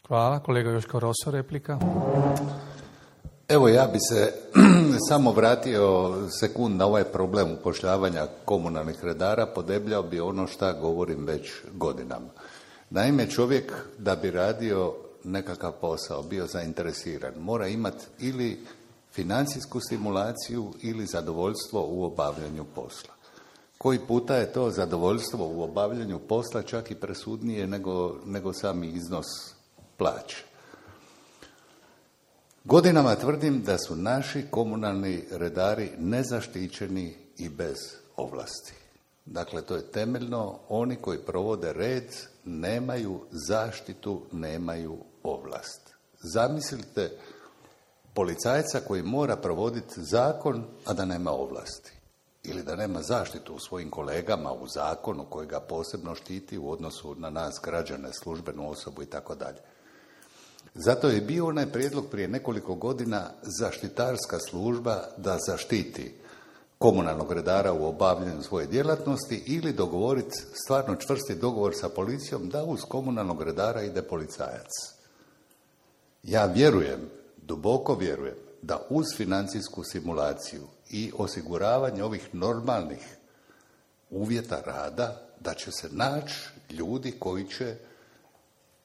Hvala. Kolega Joško Roso, replika. Evo, ja bi se samo vratio sekund na ovaj problem upošljavanja komunalnih redara, podebljao bi ono šta govorim već godinama. Naime, čovjek da bi radio nekakav posao, bio zainteresiran, mora imati ili financijsku stimulaciju ili zadovoljstvo u obavljanju posla. Koji puta je to zadovoljstvo u obavljanju posla čak i presudnije nego sami iznos plaće. Godinama tvrdim da su naši komunalni redari nezaštićeni i bez ovlasti. Dakle, to je temeljno, oni koji provode red nemaju zaštitu, nemaju ovlast. Zamislite policajca koji mora provoditi zakon, a da nema ovlasti. Ili da nema zaštitu u svojim kolegama u zakonu koji ga posebno štiti u odnosu na nas građane, službenu osobu i tako dalje. Zato je bio onaj prijedlog prije nekoliko godina zaštitarska služba da zaštiti komunalnog redara u obavljanju svoje djelatnosti ili dogovoriti stvarno čvrsti dogovor sa policijom da uz komunalnog redara ide policajac. Ja vjerujem, duboko vjerujem, da uz financijsku simulaciju i osiguravanje ovih normalnih uvjeta rada, da će se naći ljudi koji će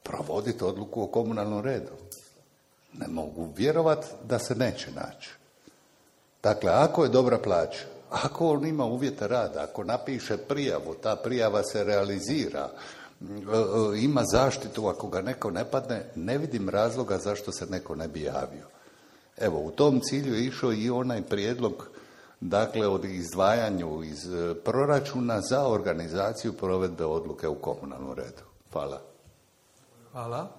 provoditi odluku o komunalnom redu. Ne mogu vjerovati da se neće naći. Dakle, ako je dobra plaća, ako on ima uvjete rada, ako napiše prijavu, ta prijava se realizira, ima zaštitu ako ga neko ne padne, ne vidim razloga zašto se neko ne bi javio. Evo, u tom cilju je išao i onaj prijedlog, dakle, od izdvajanju iz proračuna za organizaciju provedbe odluke u komunalnom redu. Hvala. Hvala.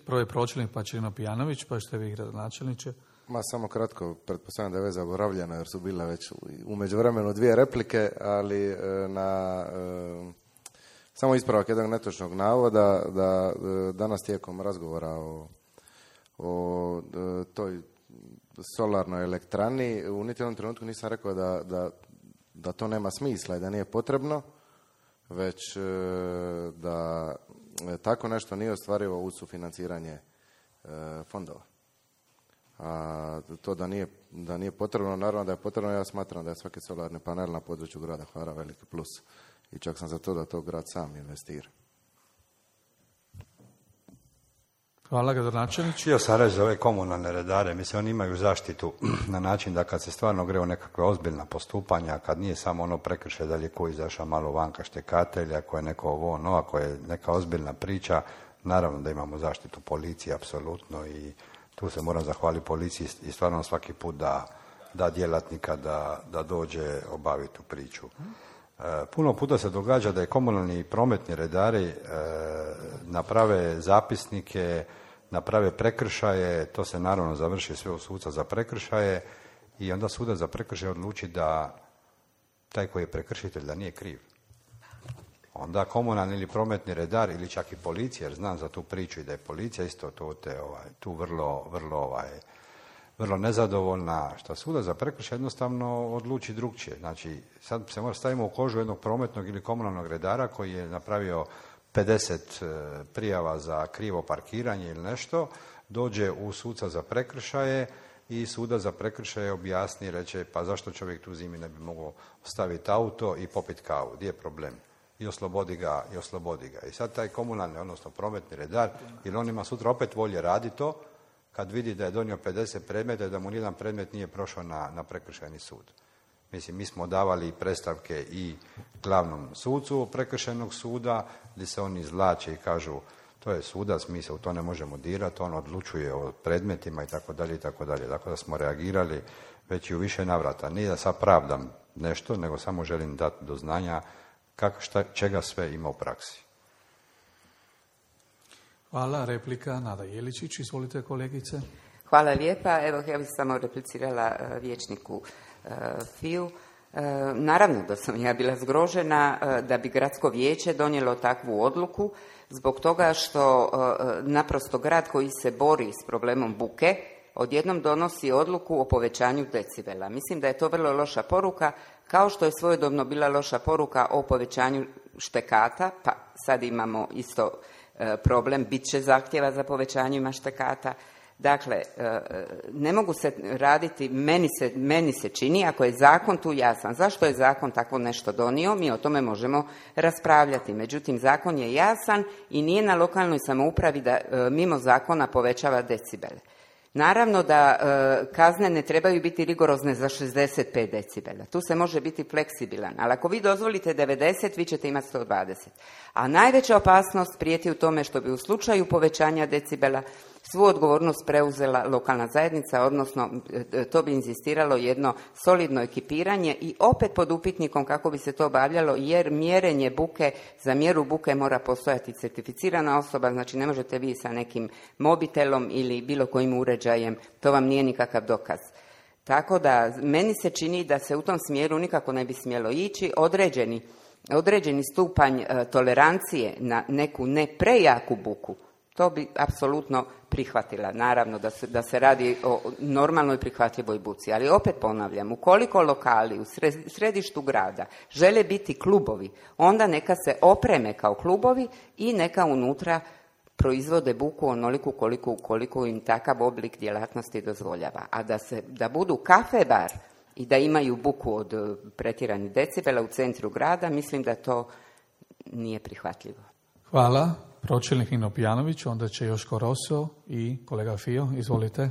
Prvo je pročelnik, pa Čirino Pijanović, pa ćete vi gradonačelniče. Samo kratko, pretpostavljam da je već zaboravljeno jer su bile već u međuvremenu 2 replike, ali samo ispravak jednog netočnog navoda da danas tijekom razgovora o toj solarnoj elektrani u niti jednom trenutku nisam rekao da to nema smisla i da nije potrebno, već da tako nešto nije ostvarivo uz sufinanciranje fondova. A to da nije potrebno, naravno da je potrebno, ja smatram da je svaki solarni panel na području grada Hvara veliki plus i čak sam za to da to grad sam investira. Hvala, gradonačelniče. Htio sam reći za ove komunalne redare, mislim oni imaju zaštitu na način da kad se stvarno gre u nekakve ozbiljna postupanja, kad nije samo ono prekršaj da li je ko izašao malo vanka štekatelja, ako je neko ovo ono, ako je neka ozbiljna priča, naravno da imamo zaštitu policije, apsolutno, i tu se moram zahvaliti policiji i stvarno svaki put da djelatnika da dođe obaviti tu priču. Puno puta se događa da je komunalni i prometni redari naprave zapisnike, naprave prekršaje, to se naravno završi sve u suca za prekršaje i onda sudac za prekršaje odluči da taj koji je prekršitelj da nije kriv. Onda komunalni ili prometni redar ili čak i policija, jer znam za tu priču i da je policija isto tu vrlo nezadovoljna, što sudac za prekršaj jednostavno odluči drugčije. Znači, sad se mora stavimo u kožu jednog prometnog ili komunalnog redara koji je napravio 50 prijava za krivo parkiranje ili nešto, dođe u suca za prekršaje i sudac za prekršaje objasni i reče pa zašto čovjek tu zimi ne bi mogao staviti auto i popiti kavu, gdje je problem? I oslobodi ga. I sad taj komunalni, odnosno prometni redar, jer on ima sutra opet volje raditi to, kad vidi da je donio 50 predmeta i da mu nijedan predmet nije prošao na prekršajni sud. Mislim, mi smo davali predstavke i glavnom sucu prekršajnog suda, gdje se oni izvlače i kažu to je sudac, mi se u to ne možemo dirati, on odlučuje o predmetima itd. itd. Tako da smo reagirali već i u više navrata. Nije da sad pravdam nešto, nego samo želim dati do znanja čega sve ima u praksi. Hvala. Replika Nada Jeličić. Izvolite, kolegice. Hvala lijepa. Evo, ja bih samo replicirala vijećniku Fiju. Naravno da sam ja bila zgrožena da bi gradsko vijeće donijelo takvu odluku zbog toga što naprosto grad koji se bori s problemom buke odjednom donosi odluku o povećanju decibela. Mislim da je to vrlo loša poruka, kao što je svojedobno bila loša poruka o povećanju štekata, pa sad imamo isto problem, bit će zahtjeva za povećanjima štekata. Dakle, ne mogu se raditi, meni se čini, ako je zakon tu jasan, zašto je zakon tako nešto donio, mi o tome možemo raspravljati. Međutim, zakon je jasan i nije na lokalnoj samoupravi da mimo zakona povećava decibele. Naravno da kazne ne trebaju biti rigorozne za 65 decibela. Tu se može biti fleksibilan, ali ako vi dozvolite 90, vi ćete imati 120. A najveća opasnost prijeti u tome što bi u slučaju povećanja decibela svu odgovornost preuzela lokalna zajednica, odnosno to bi inzistiralo jedno solidno ekipiranje i opet pod upitnikom kako bi se to obavljalo, jer mjerenje buke, za mjeru buke mora postojati certificirana osoba, znači ne možete vi sa nekim mobitelom ili bilo kojim uređajem, to vam nije nikakav dokaz. Tako da meni se čini da se u tom smjeru nikako ne bi smjelo ići. Određeni stupanj tolerancije na neku ne prejaku buku, to bi apsolutno prihvatila. Naravno da se radi o normalnoj prihvatljivoj buci. Ali opet ponavljam, ukoliko lokali u središtu grada žele biti klubovi, onda neka se opreme kao klubovi i neka unutra proizvode buku onoliku koliko im takav oblik djelatnosti dozvoljava. A da budu kafe bar i da imaju buku od pretjeranih decibela u centru grada, mislim da to nije prihvatljivo. Hvala. Pročelnik Nino Pijanović, onda će Joško Roso i kolega Fio. Izvolite.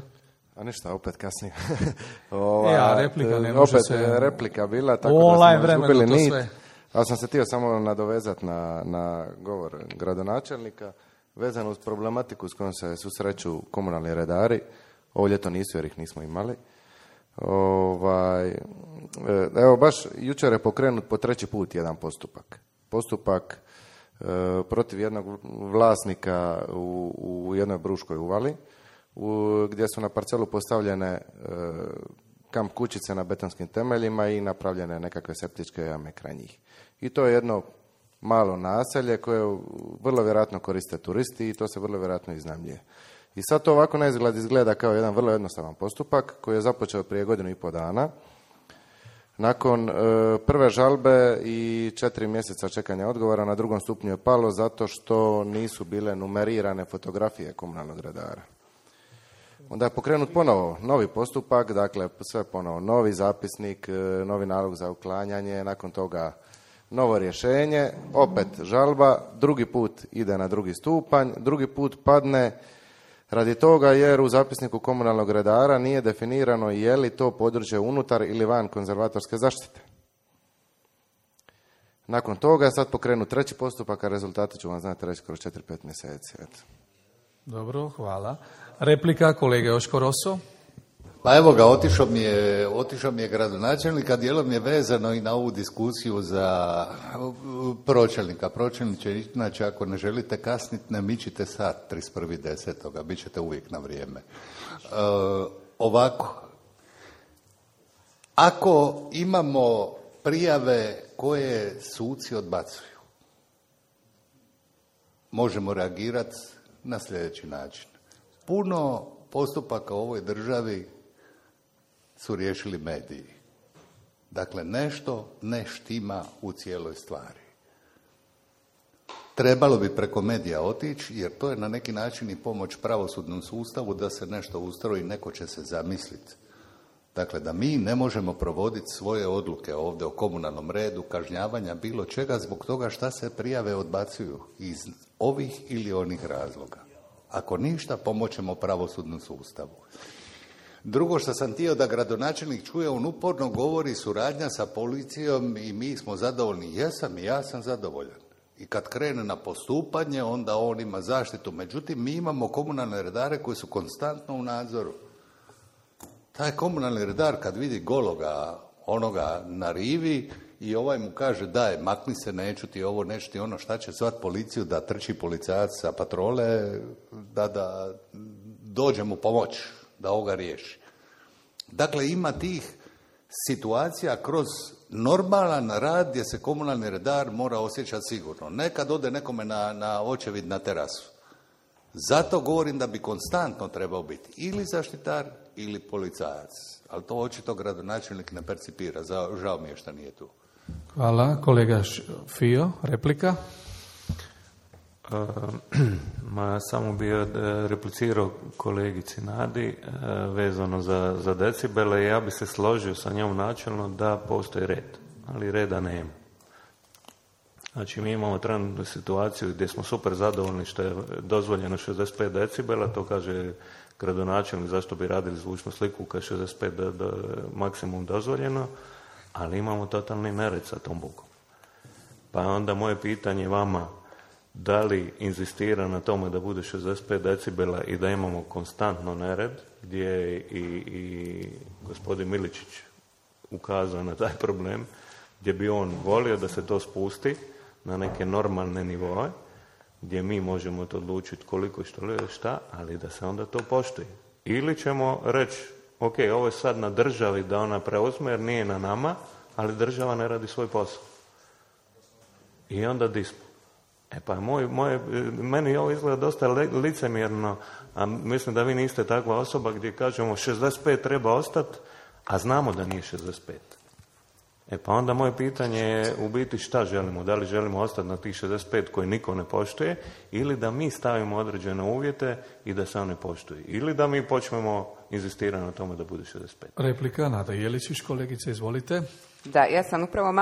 A ništa, opet kasnije. Replika ne može opet se... replika bila, tako online da smo izgubili nit. sve. Ali sam se htio samo nadovezati na govor gradonačelnika, vezano uz problematiku s kojom se susreću komunalni redari. Ovo ljeto nisu jer ih nismo imali. Evo, baš jučer je pokrenut po 3. put jedan postupak. Postupak protiv jednog vlasnika u jednoj Bruškoj uvali, gdje su na parcelu postavljene kamp kućice na betonskim temeljima i napravljene nekakve septičke jame kraj njih. I to je jedno malo naselje koje vrlo vjerojatno koriste turisti i to se vrlo vjerojatno iznajmljuje. I sad to ovako na izgled izgleda kao jedan vrlo jednostavan postupak koji je započeo prije 1,5 dana. Nakon prve žalbe i 4 mjeseca čekanja odgovora na 2. stupnju je palo zato što nisu bile numerirane fotografije komunalnog redara. Onda je pokrenut ponovo novi postupak, dakle sve ponovo novi zapisnik, novi nalog za uklanjanje, nakon toga novo rješenje, opet žalba, drugi put ide na 2. stupanj, drugi put padne radi toga jer u zapisniku komunalnog redara nije definirano je li to područje unutar ili van konzervatorske zaštite. Nakon toga je sad pokrenut 3. postupak, a rezultati ću vam znati reći kroz 4-5 mjeseci. Eto. Dobro, hvala. Replika kolege Joško Roso. Pa evo ga, otišao mi je gradonačelnik, a dijelom je vezano i na ovu diskusiju za pročelnika. Pročelniče, znači ako ne želite kasniti, ne mičite sat 31.10. bit ćete uvijek na vrijeme. Ovako, ako imamo prijave koje suci odbacuju, možemo reagirati na sljedeći način. Puno postupaka u ovoj državi su riješili mediji. Dakle, nešto ne štima u cijeloj stvari. Trebalo bi preko medija otići, jer to je na neki način i pomoć pravosudnom sustavu da se nešto ustroji, neko će se zamisliti. Dakle, da mi ne možemo provoditi svoje odluke ovdje o komunalnom redu, kažnjavanja, bilo čega, zbog toga šta se prijave odbacuju iz ovih ili onih razloga. Ako ništa, pomoćemo pravosudnom sustavu. Drugo što sam htio da gradonačelnik čuje, on uporno govori suradnja sa policijom i mi smo zadovoljni. Jesam i ja sam zadovoljan. I kad krene na postupanje, onda on ima zaštitu. Međutim, mi imamo komunalne redare koji su konstantno u nadzoru. Taj komunalni redar kad vidi gologa, onoga na rivi i ovaj mu kaže daj, makni se, neću ti ovo, neću ti ono, šta će zvat policiju da trči policajac sa patrole, da dođe mu pomoć, da ovoga riješi. Dakle, ima tih situacija kroz normalan rad gdje se komunalni redar mora osjećati sigurno. Nekad ode nekome na očevid na terasu. Zato govorim da bi konstantno trebao biti ili zaštitar ili policajac. Ali to očito gradonačelnik ne percipira. Žao mi je što nije tu. Hvala. Kolega Fio, replika. Samo bi replicirao kolegici Nadi vezano za decibele. Ja bi se složio sa njom načelno da postoji red, ali reda nema. Znači, mi imamo trenutnu situaciju gdje smo super zadovoljni što je dozvoljeno 65 decibela, to kaže gradonačelnik zašto bi radili zvučnu sliku kad je 65 maksimum dozvoljeno, ali imamo totalni nered sa tom bukom. Pa onda moje pitanje vama, da li inzistira na tome da bude 65 decibela i da imamo konstantno nered, gdje je i gospodin Miličić ukazao na taj problem, gdje bi on volio da se to spusti na neke normalne nivoe, gdje mi možemo to odlučiti koliko i šta, ali da se onda to poštuje. Ili ćemo reći, ok, ovo je sad na državi da ona preuzme jer nije na nama, ali država ne radi svoj posao. I onda dispo. Pa meni ovo izgleda dosta licemjerno, a mislim da vi niste takva osoba gdje kažemo 65 treba ostati, a znamo da nije 65. Pa onda moje pitanje je u biti šta želimo, da li želimo ostati na tih 65 koje niko ne poštuje, ili da mi stavimo određene uvjete i da se one poštuju, ili da mi počnemo inzistirati na tome da bude 65. Replika, Nada Jeličić, kolegice, izvolite. Da, ja sam upravo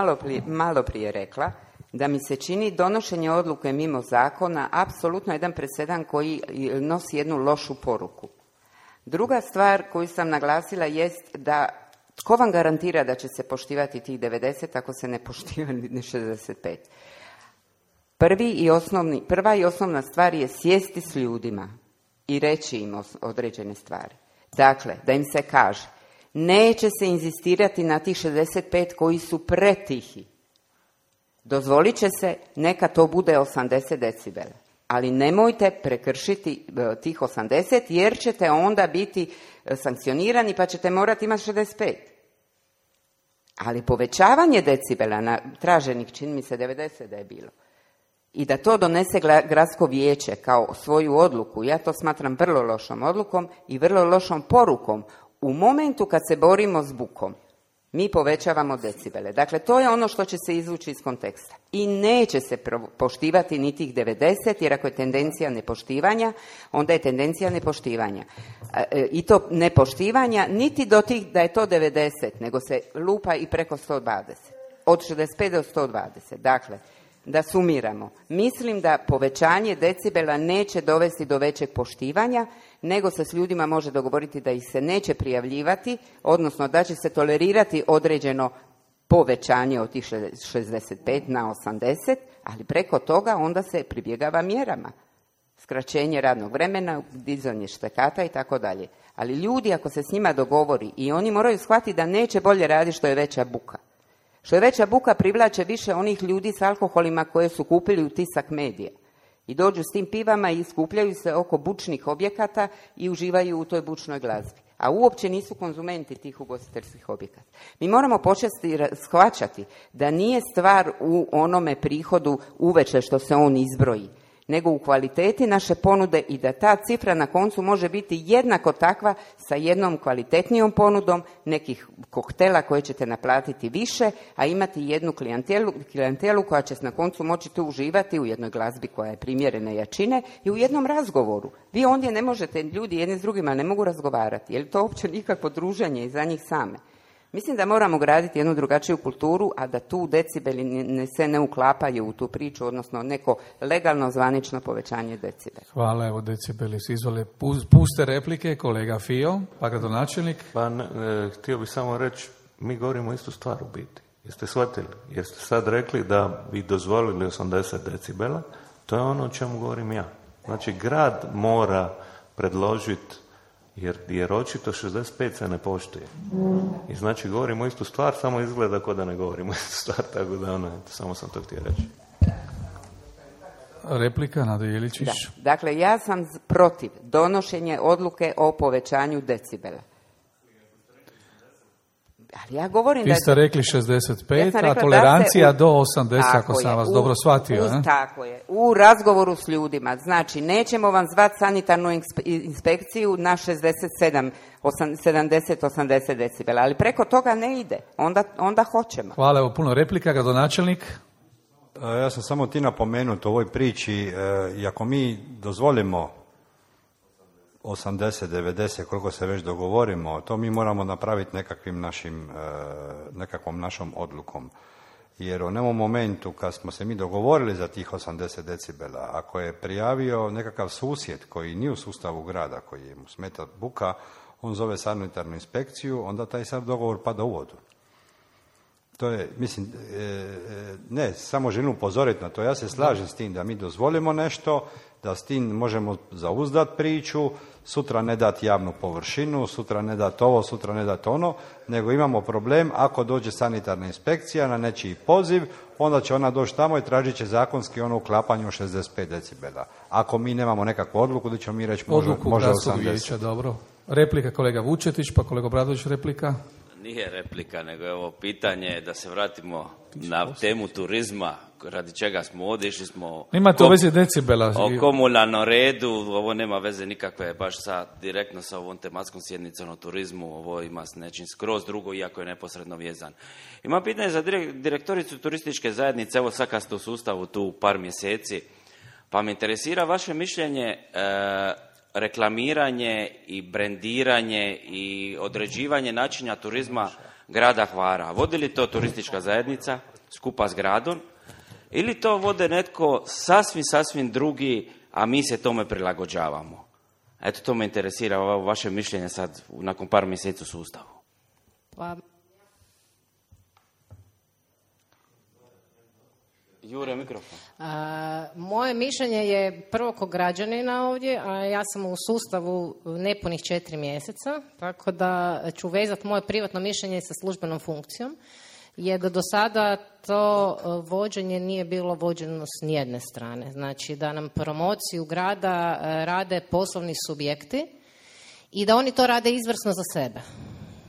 malo prije rekla da mi se čini donošenje odluke mimo zakona apsolutno jedan presedan koji nosi jednu lošu poruku. Druga stvar koju sam naglasila jest da tko vam garantira da će se poštivati tih 90 ako se ne poštiva ni 65? Prva i osnovna stvar je sjesti s ljudima i reći im određene stvari. Dakle, da im se kaže, neće se inzistirati na tih 65 koji su pretihi. Dozvolit će se, neka to bude 80 decibela. Ali nemojte prekršiti tih 80 jer ćete onda biti sankcionirani pa ćete morati imati 65. Ali povećavanje decibela na traženih, čini mi se 90 da je bilo, i da to donese gradsko vijeće kao svoju odluku, ja to smatram vrlo lošom odlukom i vrlo lošom porukom. U momentu kad se borimo s bukom, mi povećavamo decibele. Dakle, to je ono što će se izvući iz konteksta. I neće se poštivati ni tih 90, jer ako je tendencija nepoštivanja, onda je tendencija nepoštivanja. I to nepoštivanja niti do tih da je to 90, nego se lupa i preko 120. Od 65 do 120. Dakle, da sumiramo. Mislim da povećanje decibela neće dovesti do većeg poštivanja, nego se s ljudima može dogovoriti da ih se neće prijavljivati, odnosno da će se tolerirati određeno povećanje od tih 65 na 80, ali preko toga onda se pribjegava mjerama. Skraćenje radnog vremena, dizanje štekata i tako dalje. Ali ljudi, ako se s njima dogovori, i oni moraju shvatiti da neće bolje raditi što je veća buka. Što je veća buka privlače više onih ljudi s alkoholima koje su kupili u Tisak medija. I dođu s tim pivama i skupljaju se oko bučnih objekata i uživaju u toj bučnoj glazbi. A uopće nisu konzumenti tih ugostiteljskih objekata. Mi moramo početi shvaćati da nije stvar u onome prihodu uveče što se on izbroji, nego u kvaliteti naše ponude i da ta cifra na koncu može biti jednako takva sa jednom kvalitetnijom ponudom nekih koktela koje ćete naplatiti više, a imati jednu klijentelu koja će na koncu moći tu uživati u jednoj glazbi koja je primjerene jačine i u jednom razgovoru. Vi ondje ne možete, ljudi jedni s drugima ne mogu razgovarati, jer to uopće nikakvo druženje i za njih same. Mislim da moramo graditi jednu drugačiju kulturu, a da tu decibeli se ne uklapaju u tu priču, odnosno neko legalno zvanično povećanje decibela. Hvala, evo decibeli se izvole. Puste replike, kolega Fio, pa gradonačelnik. Htio bih samo reći, mi govorimo istu stvar u biti. Jeste shvatili? Jeste sad rekli da bi dozvolili 80 decibela, to je ono o čemu govorim ja. Znači, grad mora predložiti, jer očito 65 se ne poštuje. I znači govorimo istu stvar, samo izgleda kao da ne govorimo istu stvar, tako da samo sam to htio reći. Replika, Nada Jeličić. Da. Dakle, ja sam protiv donošenja odluke o povećanju decibela. Ali ja govorim Vi ste rekli 65, a tolerancija do 80, ako sam vas dobro shvatio. Tako je. U razgovoru s ljudima. Znači, nećemo vam zvati sanitarnu inspekciju na 70-80 decibela, ali preko toga ne ide. Onda hoćemo. Hvala, evo puno replika, gradonačelnik. Ja sam samo ti napomenut u ovoj priči, i ako mi dozvolimo 80, 90, koliko se već dogovorimo, to mi moramo napraviti nekakvom našom odlukom. Jer u onom momentu kad smo se mi dogovorili za tih 80 decibela, ako je prijavio nekakav susjed koji nije u sustavu grada, koji mu smeta buka, on zove sanitarnu inspekciju, onda taj sad dogovor pada u vodu. To je, mislim, ne, samo želim upozoriti na to. Ja se slažem s tim da mi dozvolimo nešto, da s tim možemo zauzdati priču, sutra ne dati javnu površinu, sutra ne dati ovo, sutra ne dati ono, nego imamo problem ako dođe sanitarna inspekcija na nečiji poziv, onda će ona doći tamo i tražit će zakonski ono uklapanje u 65 decibela. Ako mi nemamo nekakvu odluku, da ćemo mi reći može 80. Vijeća, dobro. Replika kolega Vučetić, pa kolega Obradović replika. Nije replika, nego je ovo pitanje da se vratimo na temu turizma, radi čega smo ovdje, išli smo Imate u vezi decibela. O komunalnom redu, ovo nema veze nikakve baš direktno sa ovom tematskom sjednicom o turizmu, ovo ima s nečim skroz drugo, iako je neposredno vezan. Ima pitanje za direktoricu turističke zajednice, evo sad kad ste u sustavu tu par mjeseci, pa me interesira vaše mišljenje, reklamiranje i brendiranje i određivanje načina turizma grada Hvara. Vodi li to turistička zajednica skupa s gradom ili to vode netko sasvim drugi, a mi se tome prilagođavamo? Eto, to me interesira, vaše mišljenje sad nakon par mjeseci u sustavu. Pa... Jure, mikrofon. Moje mišljenje je prvo ko građanina ovdje, a ja sam u sustavu nepunih 4 mjeseca, tako da ću vezati moje privatno mišljenje sa službenom funkcijom, jer do sada to vođenje nije bilo vođeno s nijedne strane. Znači da nam promociju grada rade poslovni subjekti i da oni to rade izvrsno za sebe.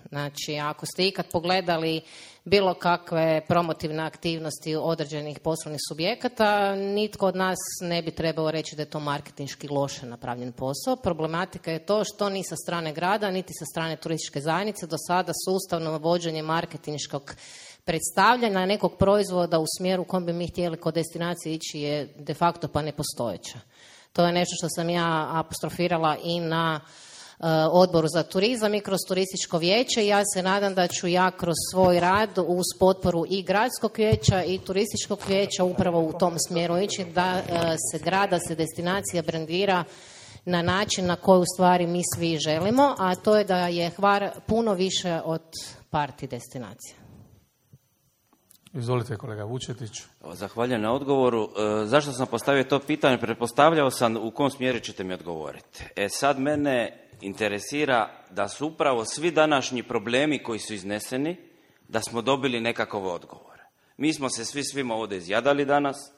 Znači, ako ste ikad pogledali bilo kakve promotivne aktivnosti određenih poslovnih subjekata, nitko od nas ne bi trebao reći da je to marketinški loše napravljen posao. Problematika je to što ni sa strane grada, niti sa strane turističke zajednice do sada sustavno vođenje marketinškog predstavljanja nekog proizvoda u smjeru u kojem bi mi htjeli kod destinacije ići je de facto pa nepostojeća. To je nešto što sam ja apostrofirala i na Odboru za turizam i kroz turističko vijeće. Ja se nadam da ću ja kroz svoj rad uz potporu i gradskog vijeća i turističkog vijeća upravo u tom smjeru ići da se grada, se destinacija brandira na način na koji u stvari mi svi želimo, a to je da je Hvar puno više od party destinacija. Izvolite kolega Vučetić. Zahvaljujem na odgovoru. Zašto sam postavio to pitanje? Pretpostavljao sam u kom smjeru ćete mi odgovoriti. Sad mene interesira da su upravo svi današnji problemi koji su izneseni, da smo dobili nekakve odgovore. Mi smo se svi svima ovdje izjadali danas,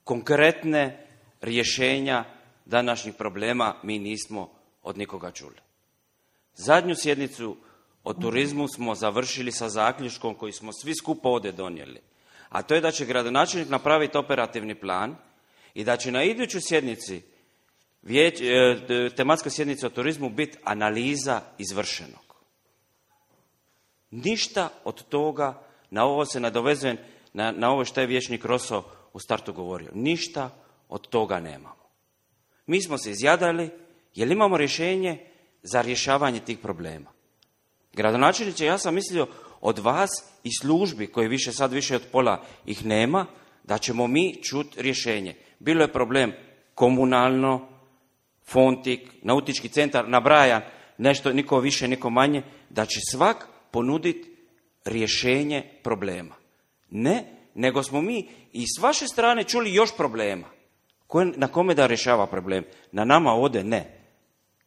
konkretne rješenja današnjih problema mi nismo od nikoga čuli. Zadnju sjednicu o turizmu smo završili sa zaključkom koji smo svi skupa ovdje donijeli, a to je da će gradonačelnik napraviti operativni plan i da će na idućoj sjednici tematska sjednica o turizmu biti analiza izvršenog. Ništa od toga, na ovo se nadovezujem, na ovo što je vijećnik Roso u startu govorio. Ništa od toga nemamo. Mi smo se izjadali, jer imamo rješenje za rješavanje tih problema. Gradonačelniče, ja sam mislio od vas i službi, koje sad više od pola ih nema, da ćemo mi čuti rješenje. Bilo je problem komunalno, Fontik, nautički centar, nabrajan, nešto, niko više, niko manje, da će svak ponuditi rješenje problema. Ne, nego smo mi i s vaše strane čuli još problema. Na kome da rješava problem? Na nama ovdje ne.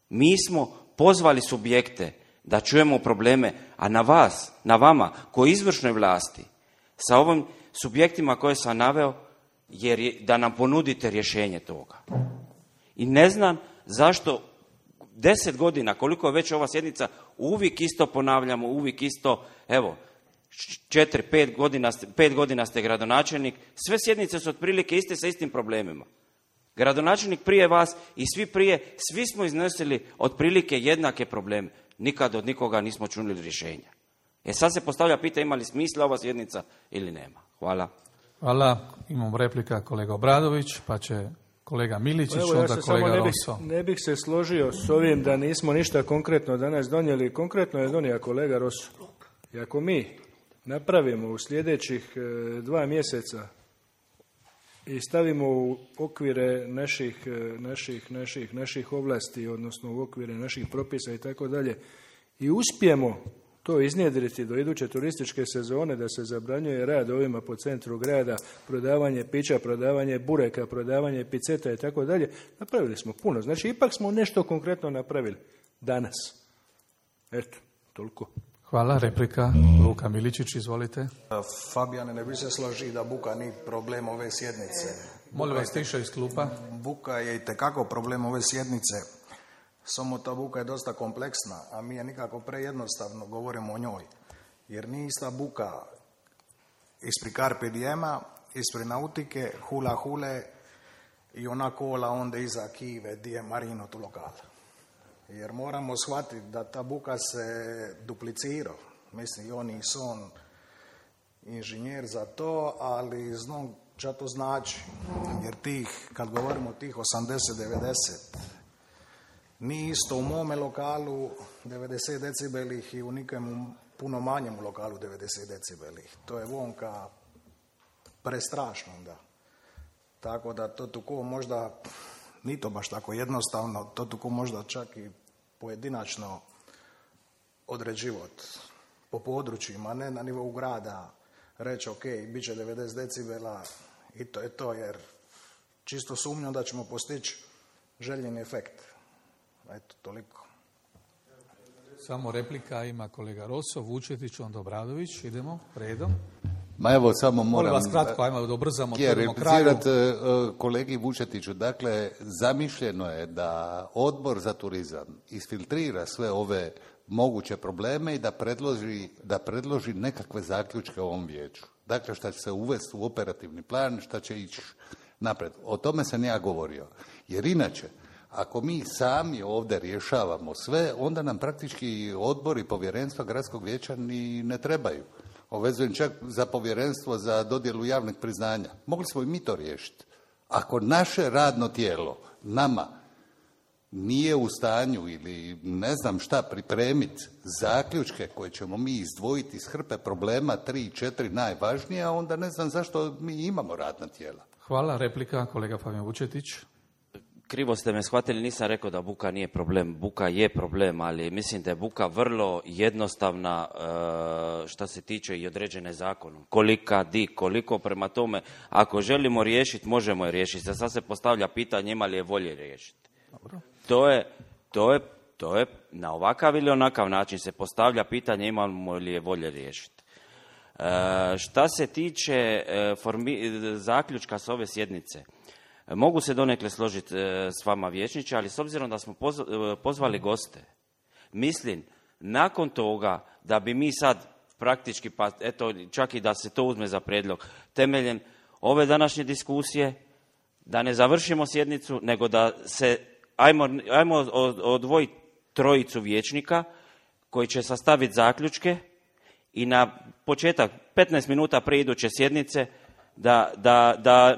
Mi smo pozvali subjekte da čujemo probleme, a na vas, na vama, koji izvršnoj vlasti, sa ovim subjektima koje sam naveo, jer da nam ponudite rješenje toga. I ne znam zašto 10 godina, koliko je već ova sjednica, uvijek isto ponavljamo, uvijek isto, evo, 5 godina ste gradonačelnik, sve sjednice su otprilike iste sa istim problemima. Gradonačelnik prije vas i svi prije, svi smo iznosili otprilike jednake probleme. Nikad od nikoga nismo čuli rješenja. Sad se postavlja pitanje ima li smisla ova sjednica ili nema. Hvala. Hvala. Imamo replika kolega Obradović, pa će kolega Miličić, Evo, ja onda se kolega samo Rosso. ne bih se složio s ovim da nismo ništa konkretno danas donijeli. Konkretno je donio kolega Rosso. I ako mi napravimo u sljedećih 2 mjeseca i stavimo u okvire naših ovlasti, odnosno u okvire naših propisa i tako dalje, i uspijemo to iznjedriti do iduće turističke sezone, da se zabranjuje rad ovima po centru grada, prodavanje pića, prodavanje bureka, prodavanje piceta i tako dalje, napravili smo puno. Znači, ipak smo nešto konkretno napravili danas. Eto, toliko. Hvala. Replika Luka Miličić, izvolite. Fabijane, ne bi se složio da buka nije problem ove sjednice. Molim vas tiše iz klupa. Buka je itekako problem ove sjednice. Samo ta buka je dosta kompleksna, a mi je nikako prejednostavno govorimo o njoj. Jer nije ista buka ispri Carpe Diema, ispri nautike, hula hule i ona kola onda iza Kive, di je Marino tu lokal. Jer moramo shvatiti da ta buka se duplicira. Mislim, i on i son inženjer za to, ali znam šta to znači. Jer kad govorimo o tih 80-90, nije isto u mome lokalu 90 decibelih i u nikem puno manjem lokalu 90 decibelih. To je vonka prestrašno da. Tako da to tuko možda, nije to baš tako jednostavno, to tuko možda čak i pojedinačno određivati po područjima, ne na nivou grada, reći ok, bit će 90 decibela i to je to, jer čisto sumnjam da ćemo postići željeni efekt. Eto, toliko. Samo replika ima kolega Rosso, Vučetić, onda Obradović. Idemo redom. Ma evo, samo moram vas kratko, ajmo da ubrzamo, otvorimo kraju. replicirati kolegi Vučetiću. Dakle, zamišljeno je da Odbor za turizam isfiltrira sve ove moguće probleme i da predloži nekakve zaključke ovom vijeću. Dakle, šta će se uvesti u operativni plan, šta će ići napred. O tome sam ja govorio. Jer inače, ako mi sami ovdje rješavamo sve, onda nam praktički odbor i povjerenstva gradskog vijeća ni ne trebaju. Obvezujem čak za povjerenstvo za dodjelu javnih priznanja. Mogli smo i mi to riješiti. Ako naše radno tijelo nama nije u stanju ili ne znam šta pripremiti zaključke koje ćemo mi izdvojiti iz hrpe problema, 3-4 najvažnija, onda ne znam zašto mi imamo radna tijela. Hvala. Replika kolega Fabijan Vučetić. Krivo ste me shvatili, nisam rekao da buka nije problem. Buka je problem, ali mislim da je buka vrlo jednostavna što se tiče i određene zakonom. Koliko prema tome, ako želimo riješiti, možemo je riješiti. Sad se postavlja pitanje ima li je volje riješiti. Dobro. To je na ovakav ili onakav način se postavlja pitanje imamo li je volje riješiti. Šta se tiče zaključka s ove sjednice, mogu se donekle složiti s vama vijećniče, ali s obzirom da smo pozvali goste, mislim, nakon toga da bi mi sad praktički, pa eto, čak i da se to uzme za prijedlog, temeljem ove današnje diskusije, da ne završimo sjednicu, nego da se, ajmo odvojiti 3 vijećnika koji će sastaviti zaključke i na početak, 15 minuta prije iduće sjednice, da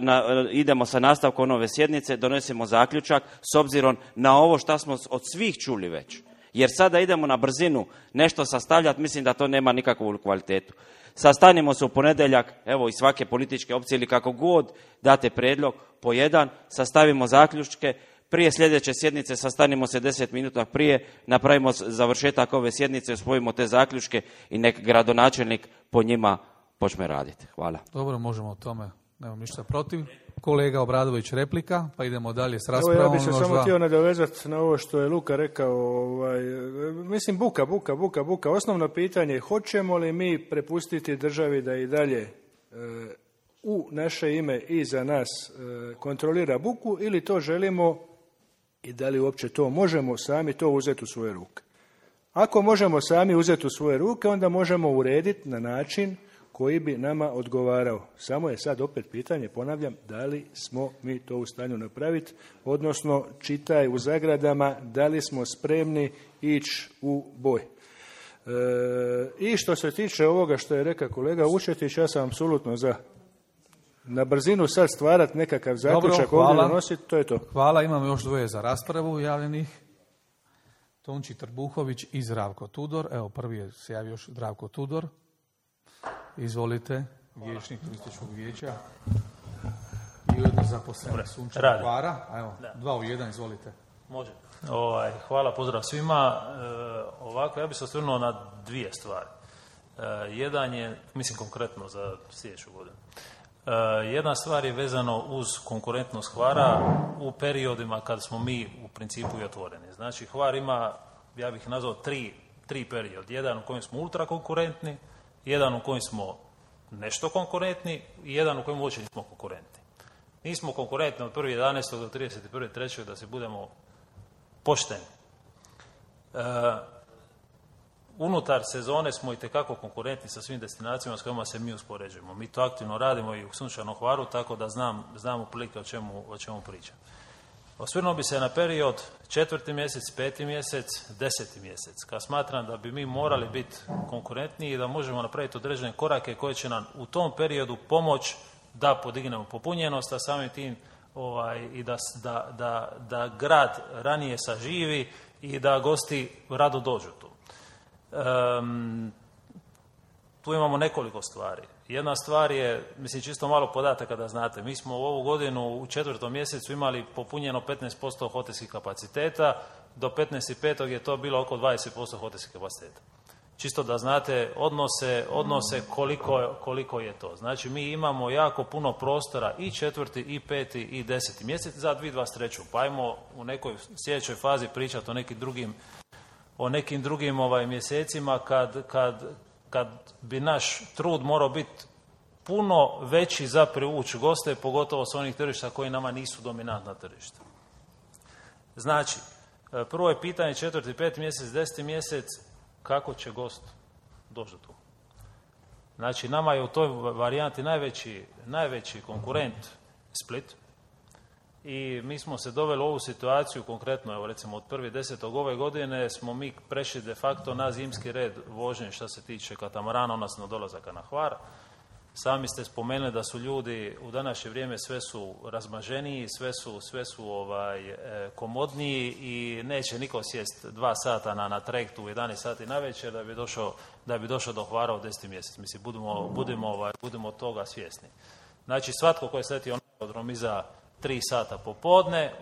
idemo sa nastavkom ove sjednice, donesemo zaključak s obzirom na ovo što smo od svih čuli već. Jer sada idemo na brzinu nešto sastavljati, mislim da to nema nikakvu kvalitetu. Sastanimo se u ponedjeljak, evo iz svake političke opcije ili kako god date prijedlog po jedan, sastavimo zaključke, prije sljedeće sjednice sastanimo se 10 minuta prije, napravimo završetak ove sjednice, usvojimo te zaključke i nek gradonačelnik po njima počne raditi. Hvala. Dobro, možemo o tome, nemam ništa protiv. Kolega Obradović, replika, pa idemo dalje s raspravom. Evo, ja bih se samo htio nadovezati na ovo što je Luka rekao. Mislim, buka. Osnovno pitanje je hoćemo li mi prepustiti državi da i dalje u naše ime i za nas kontrolira buku ili to želimo i da li uopće to možemo sami to uzeti u svoje ruke. Ako možemo sami uzeti u svoje ruke, onda možemo urediti na način koji bi nama odgovarao. Samo je sad opet pitanje, ponavljam, da li smo mi to u stanju napraviti, odnosno čitaj u zagradama, da li smo spremni ići u boj. I što se tiče ovoga što je rekao kolega Vučetić, ja sam apsolutno za. na brzinu sad stvarati nekakav zaključak Dobro, ovdje donositi, to je to. Hvala, imamo još dvoje za raspravu javljenih. Tonči Trbuhović i Zdravko Tudor. Evo, prvi je se javio još Zdravko Tudor. Izvolite, vijećnik turističkog vijeća i ujedno zaposlenik Sunčanog Hvara. Evo, 2 u 1, izvolite. Može. Hvala, pozdrav svima. Ovako, ja bih se osvrnuo na dvije stvari. Jedan je, mislim konkretno za sljedeću godinu. Jedna stvar je vezano uz konkurentnost Hvara u periodima kad smo mi u principu i otvoreni. Znači, Hvar ima, ja bih nazvao, tri period. Jedan u kojem smo ultra konkurentni, jedan u kojem smo nešto konkurentni i jedan u kojem uopće nismo konkurentni. Nismo konkurentni od 1.11. do 31.3. da se budemo pošteni. Unutar sezone smo itekako konkurentni sa svim destinacijama s kojima se mi uspoređujemo. Mi to aktivno radimo i u Sunčanom Hvaru, tako da znam otprilike o čemu pričam. Osvrnuo bi se na period 4. mjesec, 5. mjesec, 10. mjesec, kad smatram da bi mi morali biti konkurentniji i da možemo napraviti određene korake koje će nam u tom periodu pomoći da podignemo popunjenost, a samim tim i da grad ranije saživi i da gosti rado dođu tu. Tu imamo nekoliko stvari. Jedna stvar je, mislim, čisto malo podataka da znate. Mi smo u ovu godinu u 4. mjesecu imali popunjeno 15% hotelskih kapaciteta, do 15.5. je to bilo oko 20% hotelskih kapaciteta. Čisto da znate odnose koliko je to. Znači, mi imamo jako puno prostora i 4., i 5. i 10. mjesec za 2023. Pa ajmo u nekoj sljedećoj fazi pričati o nekim drugim mjesecima kad bi naš trud morao biti puno veći za privući goste, pogotovo s onih tržišta koji nama nisu dominantna tržišta. Znači, prvo je pitanje 4., 5. mjesec, 10. mjesec, kako će gost doći tu. Znači, nama je u toj varijanti najveći konkurent Split i mi smo se doveli u ovu situaciju, konkretno, evo recimo od 1.10. ove godine smo mi prešli de facto na zimski red vožnje što se tiče katamarana, odnosno dolazaka na Hvar. Sami ste spomenuli da su ljudi u današnje vrijeme sve su razmaženiji, sve su komodniji i neće niko sjest 2 sata na trajektu u 11 sati navečer da bi došao do Hvara u 10. mjesec. Mislim, budimo toga svjesni. Znači, svatko ko je sletio na aerodrom iza 3 sata popodne,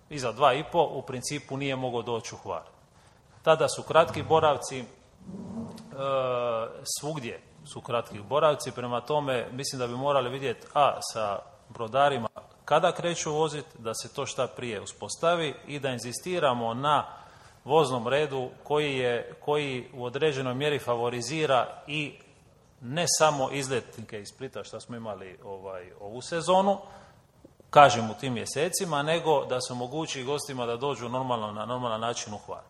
iza 2,5, u principu nije mogao doći u Hvar. Tada su kratki boravci, svugdje su kratki boravci, prema tome mislim da bi morali vidjeti sa brodarima kada kreću voziti, da se to šta prije uspostavi i da inzistiramo na voznom redu koji u određenoj mjeri favorizira i ne samo izletnike iz Splita što smo imali ovu sezonu, kažem u tim mjesecima, nego da se omogući gostima da dođu na normalan način u Hvar.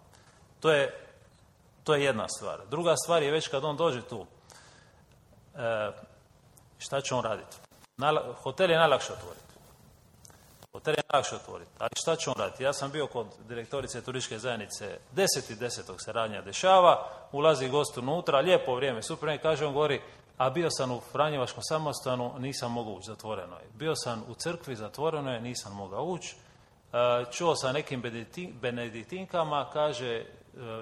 To je jedna stvar. Druga stvar je već kad on dođe tu, šta će on raditi? Hotel je najlakše otvoriti. Ali šta će on raditi? Ja sam bio kod direktorice turističke zajednice 10.10. se radnja dešava, ulazi gost unutra, lijepo vrijeme, super, i kaže on govori, a bio sam u Franjevačkom samostanu, nisam mogao ući, zatvoreno je. Bio sam u crkvi, zatvoreno je, nisam mogao ući. Čuo sam nekim benediktinkama, kaže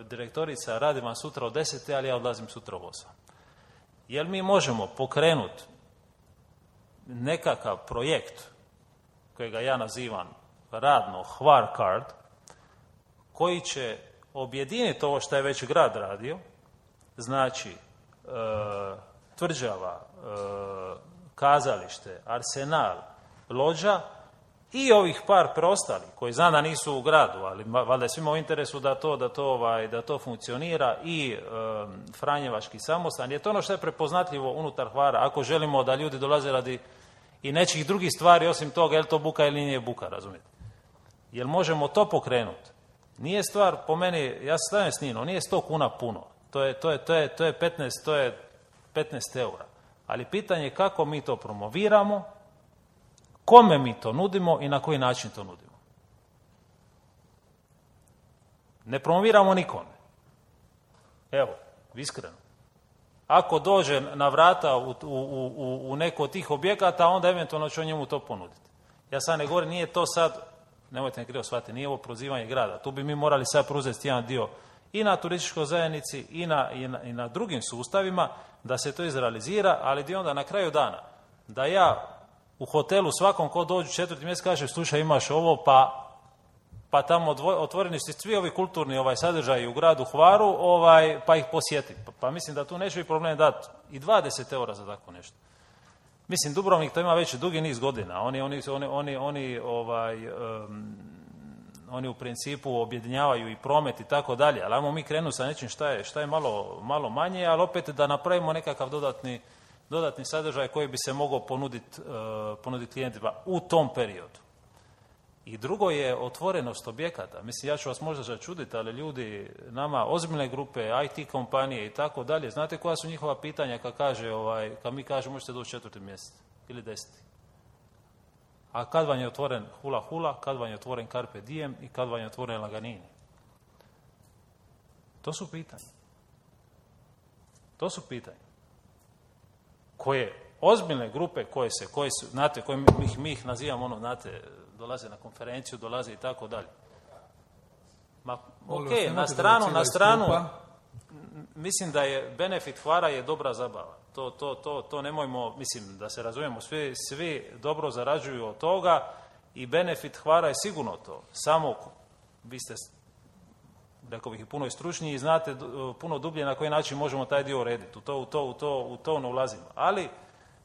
direktorica, radim vam sutra u 10, ali ja odlazim sutra u 8. Jel mi možemo pokrenuti nekakav projekt kojega ja nazivam radno Hvar Card, koji će objediniti ovo što je već grad radio, znači tvrđava, kazalište, arsenal, lođa i ovih par preostalih koji znam da nisu u gradu, ali valjda je svima u interesu da to funkcionira, i Franjevački samostan. Je to ono što je prepoznatljivo unutar Hvara, ako želimo da ljudi dolaze radi i nečih drugih stvari osim toga, je li to buka ili nije buka, razumijete? Jel možemo to pokrenuti? Nije stvar, po meni, ja se stavim s njim, nije 100 kuna puno, to je 15 eura. Ali pitanje je kako mi to promoviramo, kome mi to nudimo i na koji način to nudimo. Ne promoviramo nikome. Evo, iskreno. ako dođe na vrata u neko od tih objekata, onda eventualno će njemu to ponuditi. Ja sad ne govorim, nije to sad, nemojte me krivo shvatiti, nije ovo prozivanje grada. Tu bi mi morali sad preuzeti jedan dio i na turističkoj zajednici i na drugim sustavima da se to izrealizira, ali gdje onda na kraju dana da ja u hotelu svakom ko dođu 4. mjesec kaže slušaj imaš ovo pa tamo otvoreni su svi ovi kulturni sadržaji u gradu Hvaru pa ih posjeti. Pa mislim da tu neće biti problem dati i 20 eura za tako nešto. Mislim, Dubrovnik to ima već dugi niz godina. Oni u principu objedinjavaju i promet i tako dalje, ali ajmo mi krenuti sa nečim šta je malo manje, ali opet da napravimo nekakav dodatni sadržaj koji bi se mogao ponuditi klijentima u tom periodu. I drugo je otvorenost objekata. Mislim, ja ću vas možda začuditi, ali ljudi, nama ozbiljne grupe, IT kompanije i tako dalje, znate koja su njihova pitanja kad mi kažemo možete doći 4. mjesec ili 10. A kad vam je otvoren Hula Hula, kad vam je otvoren Carpe Diem i kad vam je otvoren Laganini? To su pitanja. Koje ozbiljne grupe koje su, znate, koje mi ih nazivamo, dolaze na konferenciju, dolaze i tako dalje. Na stranu, mislim da je benefit Hvara je dobra zabava. To nemojmo, mislim, da se razumijemo, svi dobro zarađuju od toga i benefit Hvara je sigurno to. Samo, vi ste, rekao bih, i puno stručniji i znate puno dublje na koji način možemo taj dio urediti. U to ne ulazimo. Ali,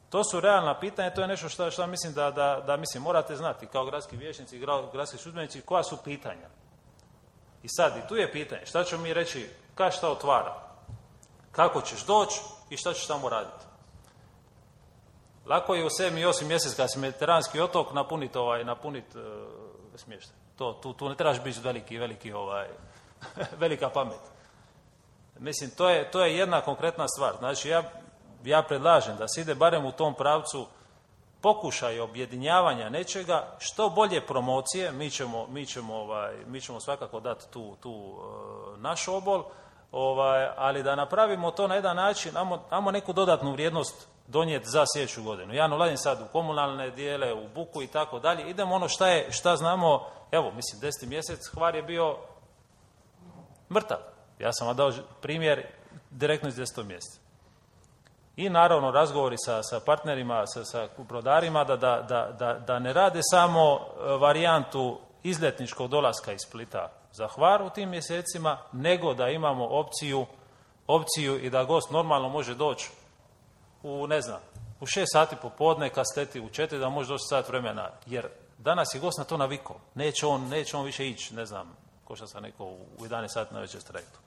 to su realna pitanja, to je nešto što mislim da morate znati kao gradski vijećnici i gradski službenici koja su pitanja. I sad, i tu je pitanje, šta ćemo mi reći, kad šta otvara, kako ćeš doći i šta ćeš tamo raditi. Lako je u 7. i 8. mjesec kad si mediteranski otok napuniti smještaj. Tu ne trebaš biti velika pamet. Mislim, to je jedna konkretna stvar. Znači, ja predlažem da se ide barem u tom pravcu pokušaj objedinjavanja nečega, što bolje promocije, mi ćemo svakako dati tu naš obol, ali da napravimo to na jedan način, ajmo neku dodatnu vrijednost donijeti za sljedeću godinu. Ja ne ulazim sad u komunalne dijele, u buku i tako dalje, idemo ono šta znamo, evo, mislim, 10. mjesec Hvar je bio mrtav. Ja sam vam dao primjer direktno iz 10. mjeseca. I naravno razgovori sa partnerima, sa brodarima da ne rade samo varijantu izletničkog dolaska iz Splita za Hvar u tim mjesecima, nego da imamo opciju i da gost normalno može doći u 6 sati popodne kad sleti u 4 da može doći sat vremena, jer danas je gost na to navikao. Neće on više ići, ko što sam rekao, u 11 sati na večer s trajektom.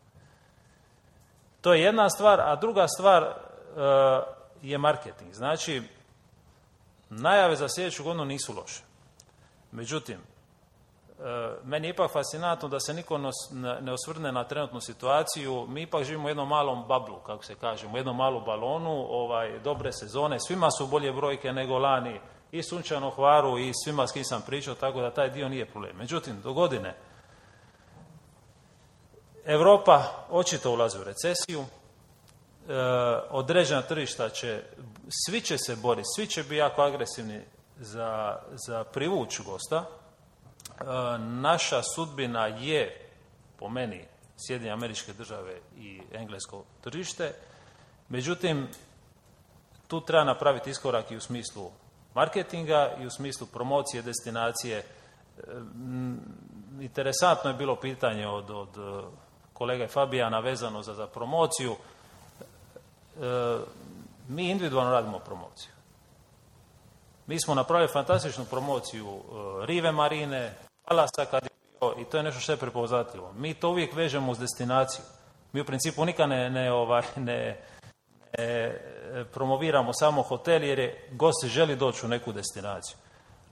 To je jedna stvar, a druga stvar je marketing. Znači, najave za sljedeću godinu nisu loše. Međutim, meni je ipak fascinantno da se niko ne osvrne na trenutnu situaciju. Mi ipak živimo u jednom malom bablu, kako se kaže, u jednom malom balonu, dobre sezone, svima su bolje brojke nego lani, i Sunčano Hvaru i svima s kim sam pričao, tako da taj dio nije problem. Međutim, do godine Europa očito ulazi u recesiju, određena tržišta svi će se boriti, svi će biti jako agresivni za privuć gosta. Naša sudbina je, po meni, Sjedinjene Američke Države i englesko tržište. Međutim, tu treba napraviti iskorak i u smislu marketinga i u smislu promocije destinacije. Interesantno je bilo pitanje od kolege Fabijana vezano za promociju. Mi individualno radimo promociju. Mi smo napravili fantastičnu promociju Rive Marine, Palasa kad je bio, i to je nešto što je prepoznatljivo. Mi to uvijek vežemo uz destinaciju. Mi u principu nikad ne promoviramo samo hotel jer je gost želi doći u neku destinaciju.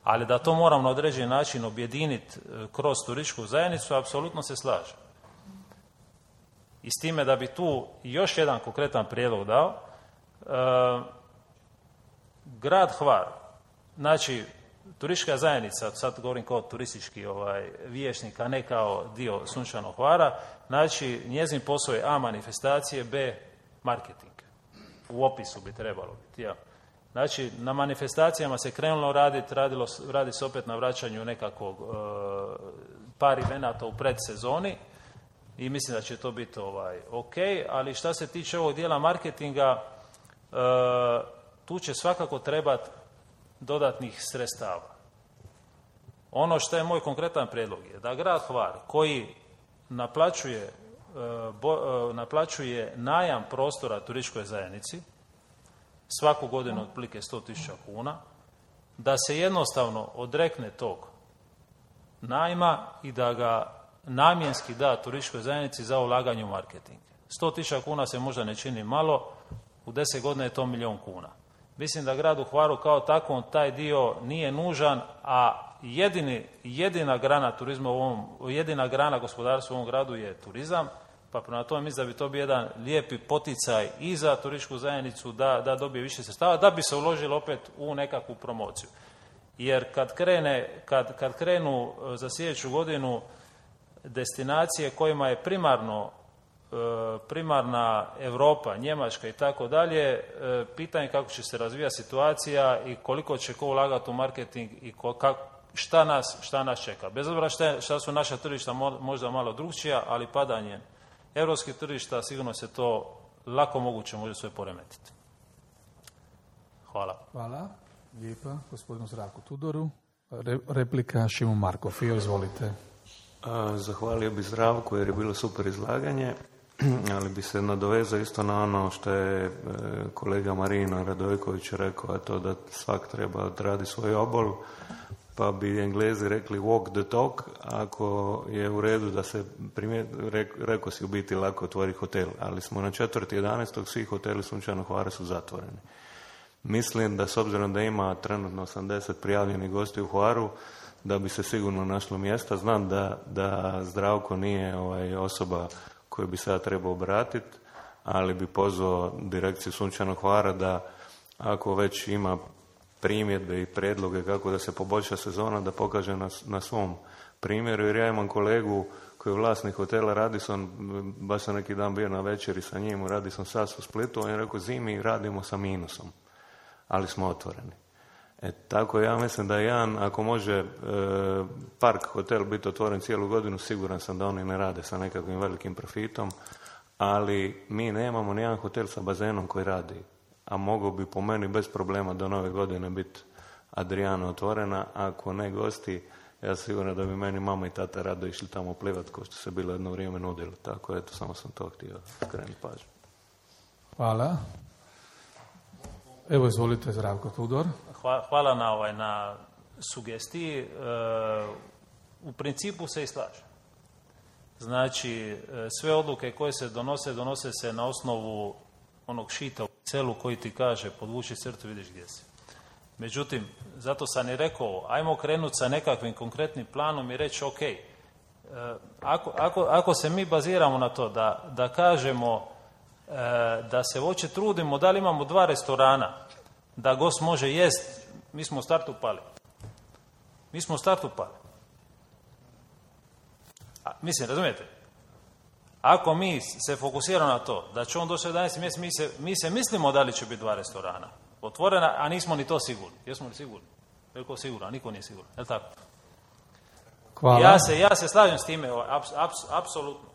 Ali da to moramo na određeni način objediniti kroz turističku zajednicu, apsolutno se slažem. I s time da bi tu još jedan konkretan prijedlog dao, grad Hvar, znači turistička zajednica, sad govorim kao turistički vijećnik, a ne kao dio Sunčanog Hvara, znači njezin posao je A manifestacije, B marketing. u opisu bi trebalo biti. Ja. Znači, na manifestacijama se krenulo raditi, radi se opet na vraćanju nekakvog par evenata u predsezoni i mislim da će to biti ok, ali šta se tiče ovog dijela marketinga, tu će svakako trebati dodatnih sredstava. Ono što je moj konkretan prijedlog je da grad Hvar koji naplaćuje najam prostora turističkoj zajednici svaku godinu otprilike 100.000 kuna, da se jednostavno odrekne tog najma i da ga namjenski da turističkoj zajednici za ulaganje u marketing. 100.000 kuna se možda ne čini malo, u 10 godina je to 1.000.000 kuna. Mislim da gradu Hvaru kao takvom taj dio nije nužan, a jedina grana turizma jedina grana gospodarstva u ovom gradu je turizam, pa prema tome mislim da bi to bio jedan lijepi poticaj i za turističku zajednicu da dobije više sredstava, da bi se uložilo opet u nekakvu promociju. Jer kad krenu za sljedeću godinu destinacije kojima je primarna Europa, Njemačka i tako dalje, pitanje kako će se razvijati situacija i koliko će ko ulagati u marketing i šta nas čeka. Bez obzira šta su naša tržišta možda malo drukčija, ali padanje europskih tržišta sigurno se to lako moguće može sve poremetiti. Hvala. Hvala. Lijepa. Gospodinu Zdravku Tudoru. Replika Šimo Marko. Fio, izvolite. Zahvalio bi Zdravku jer je bilo super izlaganje, ali bi se nadovezao isto na ono što je kolega Marino Radojković rekao, a to da svak treba odradi svoj obol, pa bi Englezi rekli walk the talk, ako je u redu da se rekao si u biti lako otvori hotel, ali smo na 4.11. svi hoteli Sunčanog Hvara su zatvoreni. Mislim da s obzirom da ima trenutno 80 prijavljenih gosti u Hvaru, da bi se sigurno našlo mjesta. Znam da Zdravko nije osoba koju bi sada trebao obratiti, ali bi pozvao direkciju Sunčanog Hvara da ako već ima primjedbe i predloge kako da se poboljša sezona, da pokaže na svom primjeru, jer ja imam kolegu koji je vlasnik hotela Radisson, baš sam neki dan bio na večeri sa njim u Radisson Sas u Splitu, on je rekao zimi radimo sa minusom, ali smo otvoreni. Tako ja mislim da jedan, ako može park hotel biti otvoren cijelu godinu, siguran sam da oni ne rade sa nekakvim velikim profitom, ali mi nemamo nijedan hotel sa bazenom koji radi, a mogao bi po meni bez problema do nove godine biti Adriana otvorena, ako ne gosti, ja siguran da bi meni mama i tata rado išli tamo plivat kao što se bilo jedno vrijeme nudilo. Tako, eto, samo sam to htio skrenuti pažnju. Hvala. Evo, izvolite, Zdravko Tudor. Hvala na sugestiji. U principu se i slažem. Znači, sve odluke koje se donose se na osnovu onog šita u celu koji ti kaže podvuči crtu, vidiš gdje si. Međutim, zato sam i rekao, ajmo krenuti sa nekakvim konkretnim planom i reći, ok, ako se mi baziramo na to da kažemo da se uopće trudimo, da li imamo 2 restorana, da gost može jest, mi smo u startu pali. Mislim, razumijete? Ako mi se fokusiramo na to, da će on doći 11. mjesec, mi se mislimo da li će biti 2 restorana otvorena, a nismo ni to sigurni. Jesmo li sigurni? Veliko sigurno, a niko nije siguran. Je li tako? Hvala. Ja se slažem s time, apsolutno.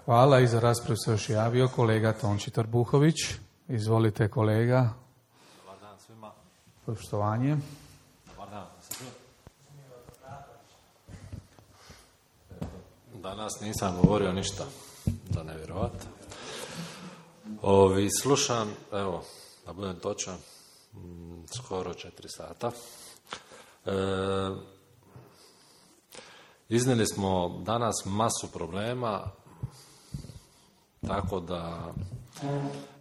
Hvala, i za raspravu se još javio kolega Tonči Trbuhović. Izvolite, kolega. Dobar dan svima. Poštovanje. Dobar dan. Danas nisam govorio ništa, da ne vjerovati. Slušam, evo, da budem točan, skoro 4 sata. Iznijeli smo danas masu problema, tako da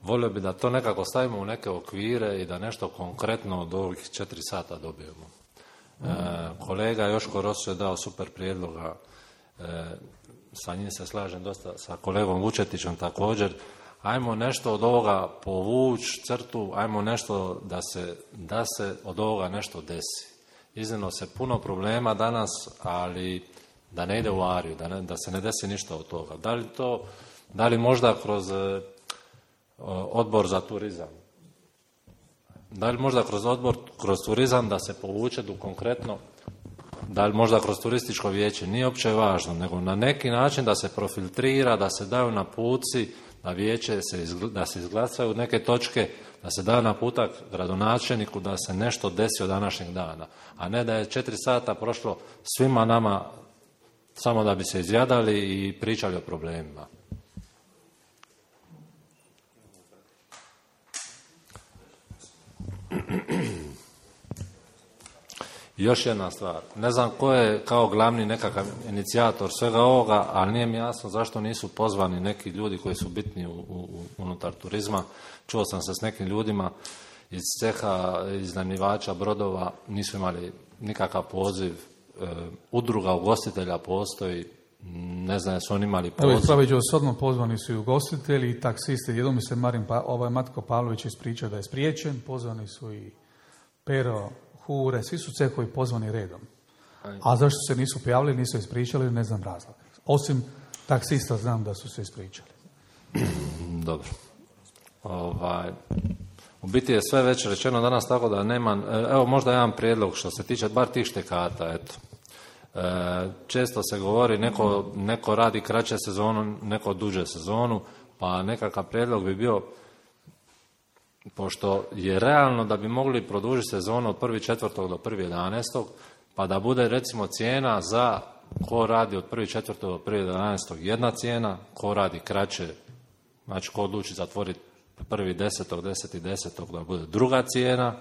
volio bi da to nekako stavimo u neke okvire i da nešto konkretno od ovih 4 sata dobijemo. Kolega Joško Rosso je dao super prijedloga, sa njim se slažem dosta, sa kolegom Vučetićem također. Ajmo nešto od ovoga povući crtu, ajmo nešto da se od ovoga nešto desi. Iznimno se puno problema danas, ali da ne ide u ariju, da se ne desi ništa od toga. Da li možda kroz odbor za turizam, Da li možda kroz odbor, kroz turizam da se povuče tu konkretno, da li možda kroz turističko vijeće, nije uopće važno, nego na neki način da se profiltrira, da se daju napuci, da vijeće da se izglasaju neke točke, da se da naputak gradonačelniku da se nešto desi od današnjeg dana, a ne da je 4 sata prošlo svima nama samo da bi se izjadali i pričali o problemima. Još jedna stvar, ne znam ko je kao glavni nekakav inicijator svega ovoga, ali nije mi jasno zašto nisu pozvani neki ljudi koji su bitni unutar turizma. Čuo sam se s nekim ljudima iz ceha iznajmljivača brodova, nisu imali nikakav poziv, udruga ugostitelja postoji, ne znam jesu oni imali poziv. Evo ispravit ću vas odmah, pozvani su i ugostitelji i taksisti, jednom mi se Matko Pavlović ispričao da je spriječen, pozvani su i Pero, Hure, svi su cehovi pozvani redom. A zašto se nisu pojavili, nisu ispričali, ne znam razlog. Osim taksista znam da su se ispričali. Dobro. U biti je sve već rečeno danas, tako da nema, evo možda jedan prijedlog što se tiče bar tih štekata, eto. Često se govori neko radi kraće sezonu, neko duže sezonu, pa nekakav prijedlog bi bio, pošto je realno da bi mogli produžiti sezonu od 1.4. do 1.11. pa da bude recimo cijena za ko radi od 1.4. do 1.11. jedna cijena, ko radi kraće, znači ko odluči zatvoriti 1.10., 10.10. da bude druga cijena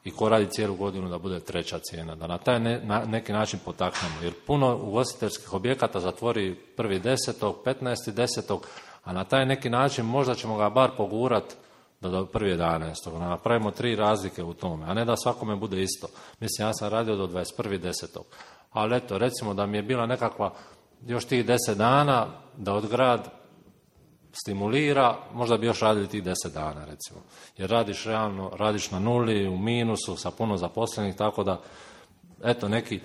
i ko radi cijelu godinu da bude treća cijena. Da na taj neki način potaknemo. Jer puno ugostiteljskih objekata zatvori 1.10., 15.10., a na taj neki način možda ćemo ga bar pogurati do 1.11. Napravimo 3 razlike u tome, a ne da svakome bude isto. Mislim, ja sam radio do 21.10. Ali eto, recimo da mi je bila nekakva još tih 10 dana da od grad stimulira, možda bi još radili tih 10 dana, recimo. Jer radiš realno, radiš na nuli, u minusu, sa puno zaposlenih, tako da, eto, neki,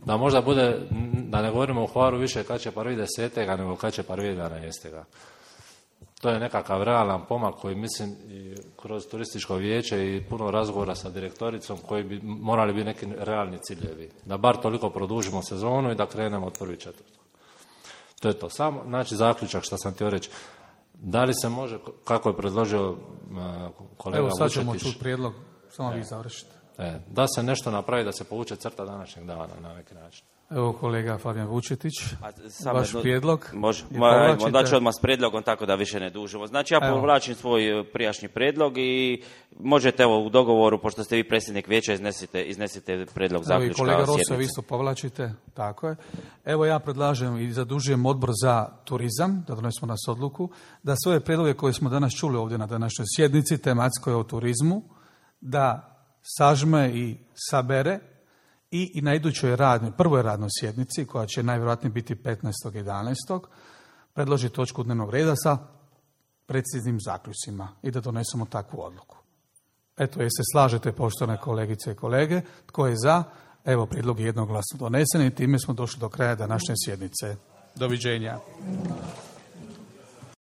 da možda bude, da ne govorimo u Hvaru više kad će 1.10. nego kad će 1.11. To je nekakav realan pomak koji mislim i kroz turističko vijeće i puno razgovora sa direktoricom koji bi morali biti neki realni ciljevi. Da bar toliko produžimo sezonu i da krenemo od 1.4. To je to. Samo, znači, zaključak što sam htio reći. Da li se može, kako je predložio kolega Vučetić... Evo sad ćemo čuti prijedlog, samo vi završite. Da se nešto napravi, da se povuče crta današnjeg dana na neki način. Evo kolega Fabijan Vučetić, vaš prijedlog. Može, onda ću odmah s prijedlogom tako da više ne dužimo. Znači ja povlačim svoj prijašnji prijedlog i možete evo u dogovoru, pošto ste vi predsjednik vijeća, iznesite prijedlog zaključka sjednice. Kolega Rosso, vi isto povlačite, tako je. Evo ja predlažem i zadužujem odbor za turizam, da donesemo nas odluku, da sve ove prijedloge koje smo danas čuli ovdje na današnjoj sjednici, tematskoj o turizmu, da sažme i sabere i na idućoj prvoj radnoj sjednici, koja će najvjerojatnije biti 15.11. predloži točku dnevnog reda sa preciznim zaključcima i da donesemo takvu odluku. Eto, jel se slažete, poštovane kolegice i kolege? Tko je za? Evo, prijedlog je jednoglasno donesen i time smo došli do kraja današnje sjednice. Doviđenja.